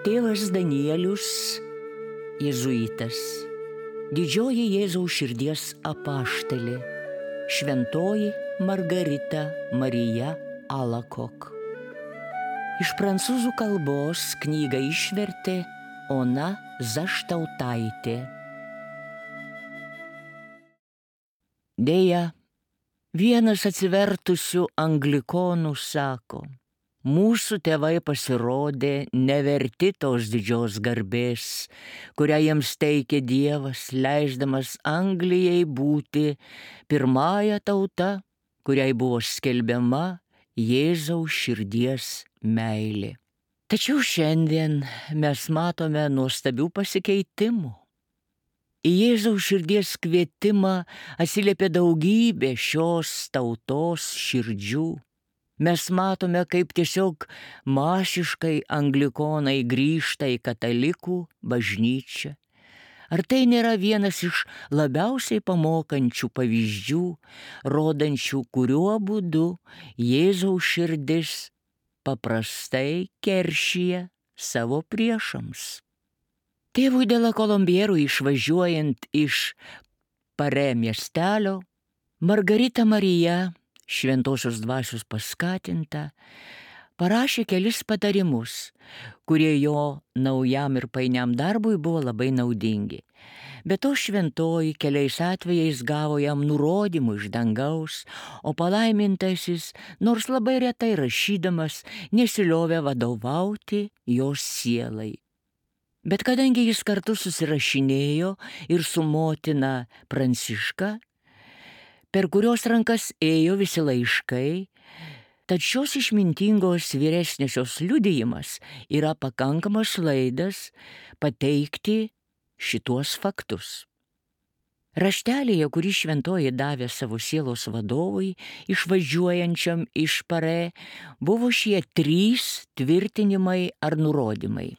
Tėvas Danielius, jėzuitas, didžioji Jėzaus širdies apaštalė, šventoji Margarita Marija Alacoque. Iš prancūzų kalbos knygą išvertė Ona Zaštautaitė. Deja, vienas atsivertusių anglikonų sako: mūsų tėvai pasirodė neverti tos didžios garbės, kurią jiems teikė Dievas, leisdamas Anglijai būti pirmąja tauta, kuriai buvo skelbiama Jėzaus širdies meilė. Tačiau šiandien mes matome nuostabių pasikeitimų. Į Jėzaus širdies kvietimą atsiliepė daugybė šios tautos širdžių. Mes matome, kaip tiesiog masiškai anglikonai grįžta į katalikų bažnyčią. Ar tai nėra vienas iš labiausiai pamokančių pavyzdžių, rodančių, kuriuo būdu Jėzaus širdis paprastai keršija savo priešams? Tėvui de la Colombierui išvažiuojant iš Pare miestelio, Margarita Marija, šventosios dvasios paskatinta, parašė kelis patarimus, kurie jo naujam ir painiam darbui buvo labai naudingi. Be to šventoji keliais atvejais gavo jam nurodymų iš dangaus, o palaimintasis, nors labai retai rašydamas, nesiliovė vadovauti jos sielai. Bet kadangi jis kartu susirašinėjo ir su motina Pranciška, per kurios rankas ėjo visi laiškai, tad šios išmintingos vyresniosios liudijimas yra pakankamas laidas pateikti šituos faktus. Raštelėje, kurį šventoji davė savo sielos vadovui, išvažiuojančiam iš Pare, buvo šie 3 tvirtinimai ar nurodymai.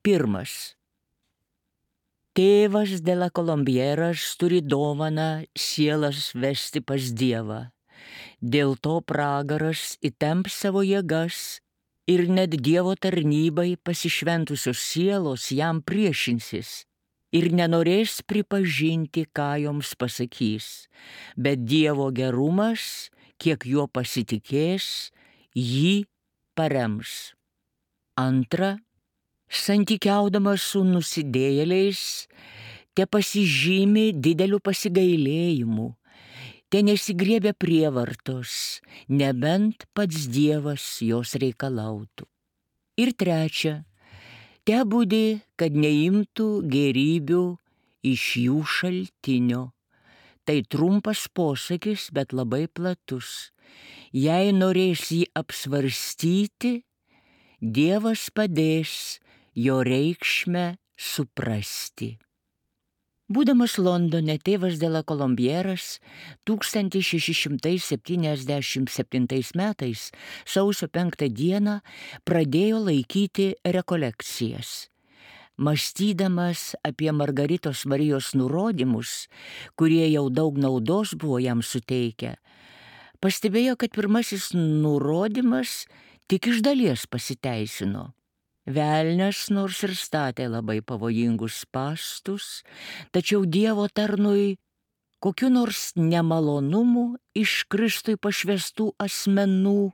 Pirmas. Tėvas de la Colombieras turi dovaną sielas vesti pas Dievą. Dėl to pragaras įtemps savo jėgas ir net Dievo tarnybai pasišventusios sielos jam priešinsis ir nenorės pripažinti, ką joms pasakys, bet Dievo gerumas, kiek juo pasitikės, jį parems. Antra. Santykiaudamas su nusidėjėliais, te pasižymi dideliu pasigailėjimu, te nesigriebia prievartos, nebent pats Dievas jos reikalautų. Ir trečia, te budi, kad neimtų gėrybių iš jų šaltinio. Tai trumpas posakis, bet labai platus. Jei norės jį apsvarstyti, Dievas padės jo reikšmę suprasti. Būdamas Londone, tėvas de la Colombieras 1677 metais sausio 5 dieną pradėjo laikyti rekolekcijas. Mąstydamas apie Margaritos Marijos nurodymus, kurie jau daug naudos buvo jam suteikę, pastebėjo, kad pirmasis nurodymas tik iš dalies pasiteisino. Velnias nors ir statė labai pavojingus spąstus, tačiau Dievo tarnui kokiu nors nemalonumu iš Kristui pašvestų asmenų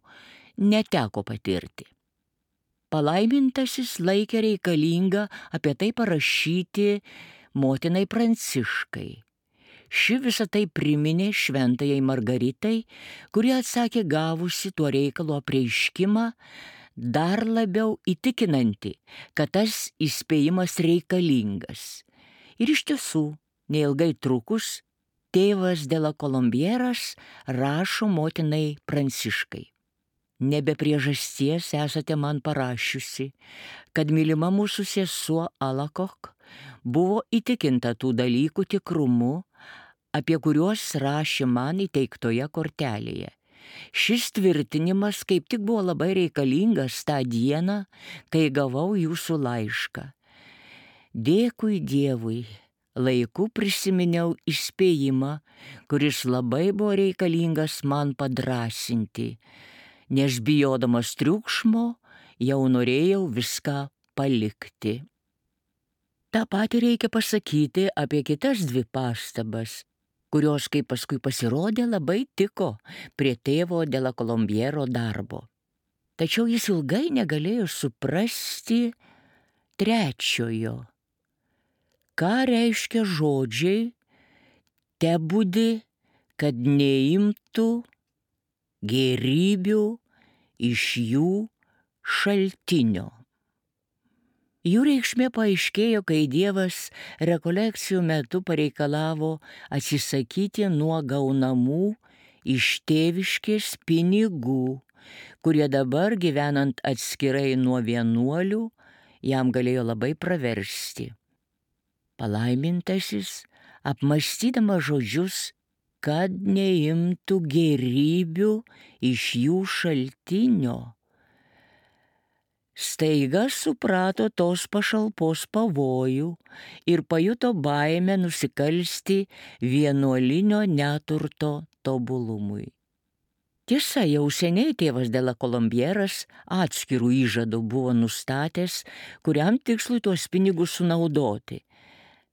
neteko patirti. Palaimintasis laikė reikalinga apie tai parašyti motinai Pranciškai. Ši visą tai priminė šventajai Margaritai, kuri atsakė gavusi tuo reikalo apreiškimą, dar labiau įtikinanti, kad tas įspėjimas reikalingas. Ir iš tiesų, neilgai trukus, tėvas de la Colombieras rašo motinai Pranciškai. Nebe priežasties esate man parašiusi, kad mylima mūsų sesuo Alacoque buvo įtikinta tų dalykų tikrumu, apie kuriuos rašė man įteiktoje kortelėje. Šis tvirtinimas kaip tik buvo labai reikalingas tą dieną, kai gavau jūsų laišką. Dėkui Dievui, laiku prisiminiau įspėjimą, kuris labai buvo reikalingas man padrąsinti, nes bijodamas triukšmo jau norėjau viską palikti. Ta patį reikia pasakyti apie kitas dvi pastabas, kurios, kaip paskui pasirodė, labai tiko prie tėvo de la Colombiero darbo. Tačiau jis ilgai negalėjo suprasti trečiojo. Ką reiškia žodžiai tebūdi, kad neimtų gėrybių iš jų šaltinio. Jų reikšmė paaiškėjo, kai Dievas rekolekcijų metu pareikalavo atsisakyti nuo gaunamų iš tėviškės pinigų, kurie dabar, gyvenant atskirai nuo vienuolių, jam galėjo labai praversti. Palaimintasis, apmąstydamas žodžius, kad neimtų gėrybių iš jų šaltinio, staiga suprato tos pašalpos pavojų ir pajuto baimę nusikalsti vienuolinio neturto tobulumui. Tiesa, jau seniai tėvas de la Colombieras atskirų įžadų buvo nustatęs, kuriam tikslui tuos pinigus sunaudoti,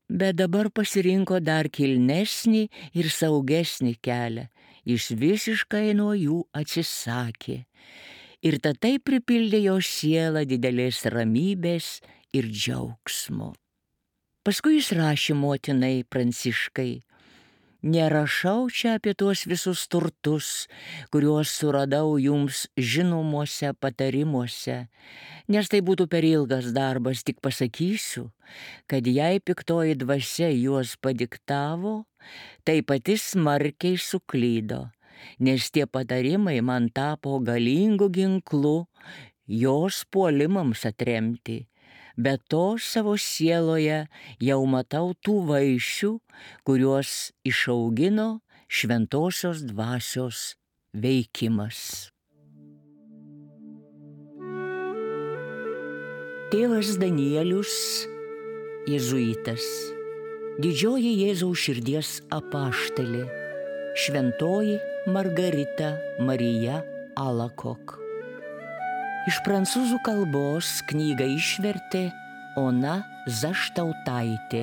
bet dabar pasirinko dar kilnesnį ir saugesnį kelią, jis visiškai nuo jų atsisakė. Ir tai pripildė jo sielą didelės ramybės ir džiaugsmo. Paskui jis rašė motinai Pranciškai: nerašau čia apie tuos visus turtus, kuriuos suradau jums žinomuose patarimuose, nes tai būtų per ilgas darbas, tik pasakysiu, kad jei piktoji dvasia juos padiktavo, tai pati smarkiai suklydo, nes tie patarimai man tapo galingu ginklu jos puolimams atremti. Be to savo sieloje jau matau tų vaisių, kuriuos išaugino šventosios dvasios veikimas. Tėvas Danielius, jėzuitas, didžioji Jėzaus širdies apaštalė, šventoji Margarita Marija Alacoque. Iš prancūzų kalbos knygą išvertė Ona Zaštautaitė.